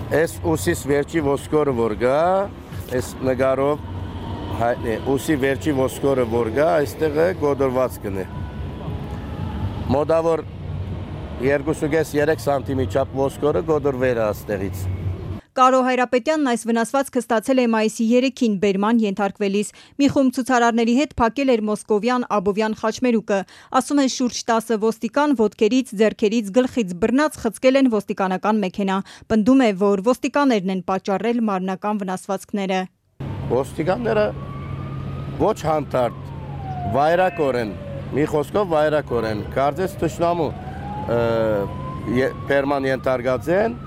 Այս ուսիս վերջի ոսկորը որ գա, այս նկարով հայտնի ուսի վերջի ոսկորը որ գա, այստեղը գոդորված կնի։ Մոտավոր 2.5-3 սանտիմի չափ ոսկորը գոդորվեր է այստեղից։ Կարո Հայրապետյանն այս վնասվածքը ստացել է մայիսի 3-ին բերման ենթարկվելիս։ Մի խումբ ցուցարարների հետ փակել էր Մոսկովյան-Աբովյան խաչմերուկը։ Ասում է շուրջ 10 ոստիկան ոտքերից, ձեռքերից, գլխից բռնած խցկել են ոստիկանական մեքենա։ Պնդում է, որ ոստիկաններն են պատճառել մարմնական վնասվածքները։ Ոստիկանները ոչ հանդարտ, վայրակոր են, մի խոսքով վայրակոր են, կարծես թշնամու բերման ենթարկած են։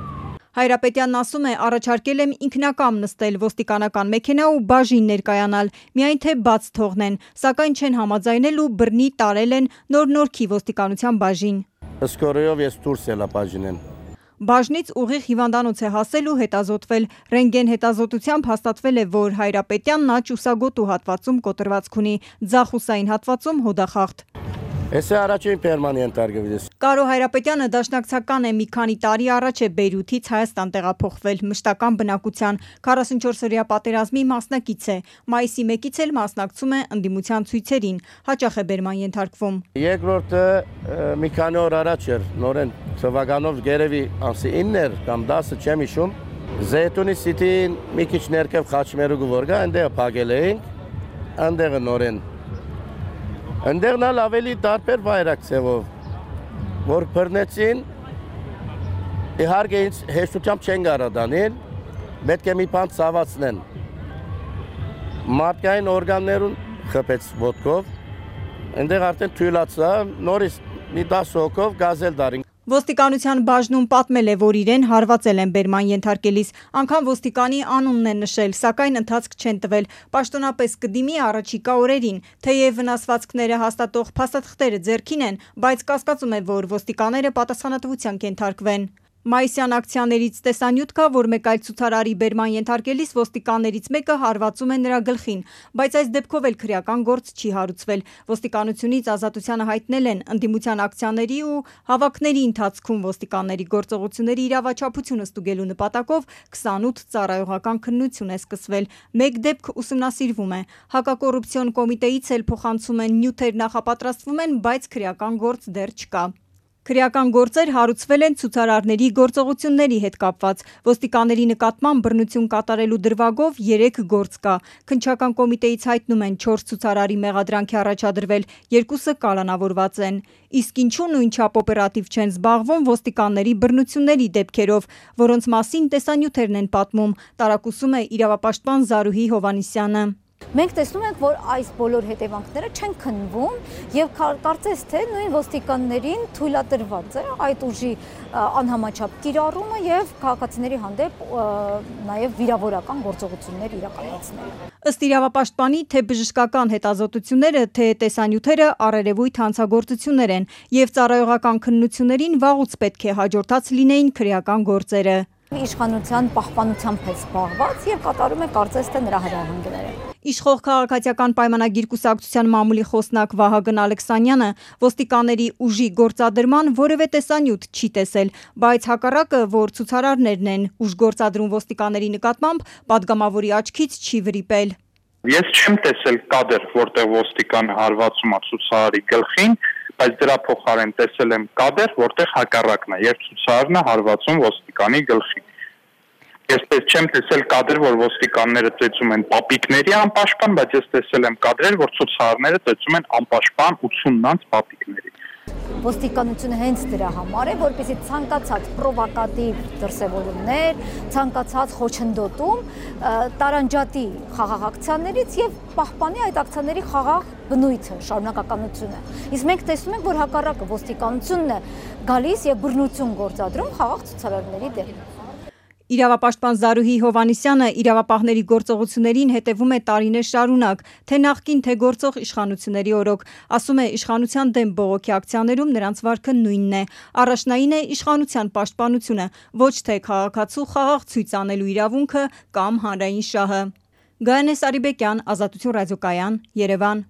Հայրապետյանն ասում է, առաջարկել եմ ինքնակամ նստել ոստիկանական մեքենա ու բաժին ներկայանալ, միայն թե բաց թողնեն, սակայն չեն համաձայնել ու բռնի տարել են նոր-նորքի ոստիկանության բաժին։ Սկորեով ես դուրս ելա բաժինեն։ Բաժնից ուղիղ հիվանդանոց է հասել ու հետազոտվել։ Ռենտգեն հետազոտությամբ հաստատվել է, որ Հայրապետյանն աջ ուսագոտու հատվածում կոտրվածք ունի, ձախ ուսային հատվածում հոդախախտ։ Այս է առաջին բերման ենթարկվելիս։ Կարո Հայրապետյանը դաշնակցական է, մի քանի տարի առաջ է Բեյրութից Հայաստան տեղափոխվել, մշտական բնակության, 44-օրյա պատերազմի մասնակից է, մայիսի 1-ից էլ մասնակցում է ընդդիմության ցույցերին, հաճախ է բերման ենթարկվում։ Երկրորդը մի քանի օր առաջ էր, նորեն թվականով գերեւի ամսի 9-եր կամ 10-ը չեմ հիշում, Զեյթունի Սիթիին մի քիչ ներքև խաչմերուկը որ գա, այնտեղ փակել էինք, այնտեղը նորեն Ընդեղն ալ ավելի տարբեր վայրակ ձևով, որ բռնեցին, իհարկե ինձ հեշտությամբ չեն կարող դանել, պետք է մի բան ցավացնեն։ Մարդկային օրգաններուն խփեց ոտքով, այնտեղ արդեն թույլացա, նորից մի 10 հոգով գազել դարին։ Ոստիկանության բաժնում պատմել է, որ իրեն հարվածել են բերման ենթարկելիս, անգամ ոստիկանի անունն է նշել, սակայն ընթացք չեն տվել, պաշտոնապես կդիմի առաջիկա օրերին, թեև վնասվածքները հաստատող փաստաթղթերը ձեռքին են, բայց կասկածում է, որ ոստիկանները պատասխանատվության կենթարկվեն։ Մայիսյան ակցիաներից տեսանյութ կա, որ մեկ այլ ցուցարարի բերման ենթարկելիս ոստիկաններից մեկը հարվածում է նրա գլխին, բայց այս դեպքով էլ քրեական գործ չի հարուցվել։ Ոստիկանությունից ազատությանը հայտնել են ընդդիմության ակցիաների ու հավաքների ընթացքում ոստիկանների գործողությունների իրավաչափությունը ստուգելու նպատակով 28 ծառայողական քննություն է սկսվել։ Մեկ դեպք ուսումնասիրվում է։ Հակակոռուպցիոն կոմիտեից էլ փոխանցում են նյութեր նախապատրաստվում են, բայց քրեական գործ դեռ չկա։ Քրեական գործեր հարուցվել են ցուցարարների գործողությունների հետ կապված։ Ոստիկանների նկատմամբ բռնություն կատարելու դրվագով 3 գործ կա։ Քննչական կոմիտեից հայտնում են 4 ցուցարարի մեղադրանք է առաջադրվել, 2-ը կալանավորված են։ Իսկ ինչու նույնչափ օպերատիվ չեն զբաղվում ոստիկանների բռնությունների դեպքերով, որոնց մասին տեսանյութերն են պատմում, տարակուսում է իրավապաշտպան Զարուհի Հովհաննիսյանը։ Մենք տեսնում ենք, որ այս բոլոր հետևանքները չեն քննվում եւ կարծես թե նույն ոստիկաններին թույլատրված է այդ ուժի անհամաչափ կիրառումը եւ քաղաքացիների հանդեպ նաեւ վիրավորական գործողություններ իրականացնելը։ Ըստ իրավապաշտպանի, թե բժշկական հետազոտությունները, թե տեսանյութերը առերևույթ հանցագործություններ են եւ ծառայողական քննություններին վաղուց պետք է հաջորդած լինեին քրեական գործերը։ Իշխանության պահպանությամբ է զբաղված եւ կատարում է կարծես թե նրա հրահանգները։ Իշխող քաղաքացիական պայմանագիր կուսակցության մամուլի խոսնակ Վահագն Ալեքսանյանը ոստիկանների ուժի գործադրման որևէ տեսանյութ չի տեսել, բայց հակառակը, որ ցուցարարներն են ուժ գործադրում ոստիկանների նկատմամբ, падգամավորի աչքից չի վրիպել։ Ես չեմ տեսել կադր, որտեղ ոստիկան հարվածում է ցուցարարի գլխին, բայց դրա փոխարեն տեսել եմ կադր, որտեղ հակառակն է, երբ ցուցարարն է հարվածում ոստիկանի գլխին։ Ես չեմ տեսել կադրեր, որ ոստիկանները ծեծում են պապիկների անպաշտպան, բայց ես տեսել եմ կադրեր, որ ցուցարարները ծեծում են անպաշտպան 80-նանց պապիկների։ Ոստիկանությունը հենց դրա համար է, որպեսզի ցանկացած պրովոկատիվ դրսևորումներ, ցանկացած խոչընդոտում տարանջատի խաղաղ ակցիաներից եւ պահպանի այդ ակցիաների խաղաղ բնույթը, շարունակականությունը։ Իսկ մենք տեսնում ենք, որ հակառակը ոստիկանությունն է գալիս եւ բռնություն գործադրում խաղաղ ցուցարարների դեմ։ Իրավապաշտպան Զարուհի Հովհաննիսյանը իրավապահների գործողություններին հետևում է տարիներ շարունակ, թե նախկին, թե գործող իշխանությունների օրոք, ասում է իշխանության դեմ բողոքի ակցիաներում նրանց վարքը նույնն է, առաջնային է իշխանության պաշտպանությունը, ոչ թե քաղաքացու խաղաղ ցույց անելու իրավունքը կամ հանրային շահը։ Գայանե Սարիբեկյան, Ազատություն ռադիոկայան, Երևան։